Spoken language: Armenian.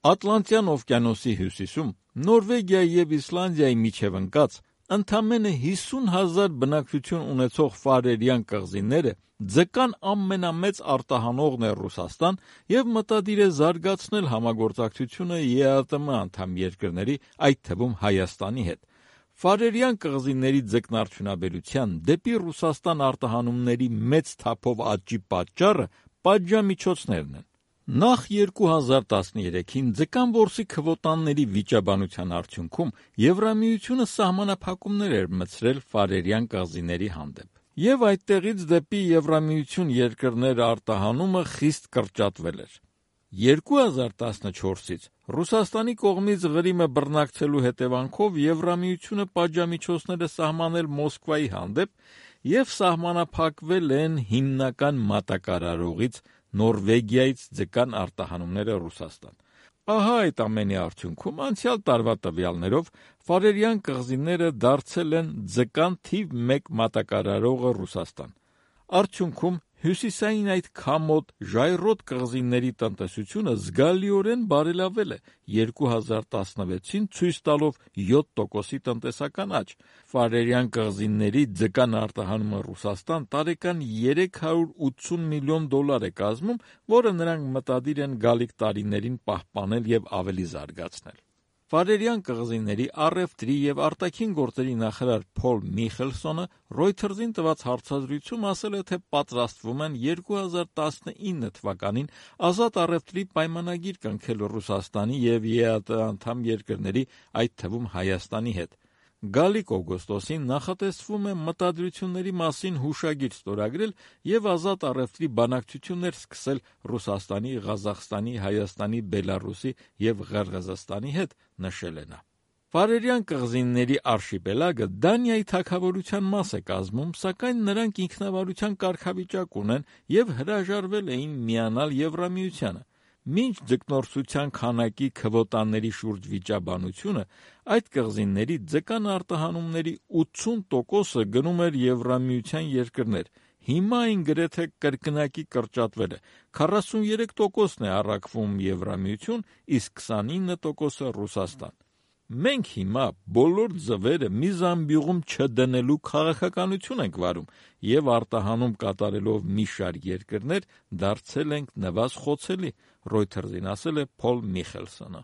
Ատլանտյան օվկիանոսի հյուսիսում, Նորվեգիայի և Իսլանդիայի միջև ընկած, ընդամենը 50,000 բնակչություն ունեցող Ֆարերյան կղզիները ձկան ամենամեծ արտահանողն է Ռուսաստան և մտադիր է զարգացնել համագործակցությունը ԵԱՏՄ անդամ երկրների, այդ թվում Հայաստանի հետ։ Ֆարերյան կղզիների ձկնարդյունաբերության դեպի Ռուսաստան արտահանումների մեծ թափով աճի պատճառը պատժամիջոցներն են։ Նախ 2013-ին ձկան որսի քվոտաների վիճաբանության արդյունքում Եվրամիությունը սահմանափակումներ էր մտցրել Ֆարերյան կղզիների հանդեպ, և այդտեղից դեպի Եվրամիություն երկրներ արտահանումը խիստ կրճատվել էր։ 2014-ից Ռուսաստանի կողմից Ղրիմը բռնակցելու հետևանքով Եվրամիությունը պատժամիջոցներ է սահմանել Մոսկվայի հանդեպ և սահմանափակվել են հիմնական մատակարարողից Նորվեգիայից ձկան արտահանումները Ռուսաստան։ Ահա այդ ամենի արդյունքում անցյալ տարվա տվյալներով Ֆարերյան կղզիները դարձել են ձկան թիվ 1 մատակարարողը Ռուսաստան։ Արդյունքում հյուսիսային այդ քամոտ, ժայռոտ կղզիների տնտեսությունը զգալիորեն բարելավել է 2016-ին ցույց տալով 7%-ի տնտեսական աճ։ Ֆարերյան կղզիների ձկան արտահանումը Ռուսաստան տարեկան $380 միլիոն է կազմում, որը նրանք մտադիր են գալիք տարիներին պահպանել և ավելի զարգացնել։ Ֆարերյան կղզիների առևտրի և արտաքին գործերի նախարար Փոլ Միխելսոնը Reuters-ին տված հարցազրույցում ասել է, թե պատրաստվում են 2019 թվականին ազատ առևտրի պայմանագիր կնքել Ռուսաստանի և ԵԱՏՄ անդամ երկրների, այդ թվում Հայաստանի հետ։ Գալիք օգոստոսին նախատեսվում է մտադրությունների մասին հուշագիր ստորագրել և ազատ առևտրի բանակցություններ սկսել Ռուսաստանի, Ղազախստանի, Հայաստանի, Բելառուսի և Ղրղըզստանի հետ, նշել է նա։ Ֆարերյան կղզիների արշիպելագը Դանիայի թագավորության մաս է կազմում, սակայն նրանք ինքնավարության կարգավիճակ ունեն և հրաժարվել էին միանալ Եվրամիությանը։ Մինչ ձկնորսության քանակի քվոտաների շուրջ վիճաբանությունը, այդ կղզիների ձկան արտահանումների 80%-ը գնում էր Եվրամիության երկրներ, հիմա այն գրեթե կրկնակի կրճատվել է, 43%-ն է առաքվում Եվրամիություն, իսկ 29%-ը Ռուսաստան։ Մենք հիմա բոլոր ձվերը մի զամբյուղում չդնելու քաղաքականություն ենք վարում և արտահանում կատարելով մի շարք երկրներ դարձել ենք նվազ խոցելի, Reuters-ին ասել է Փոլ Միխելսոնը։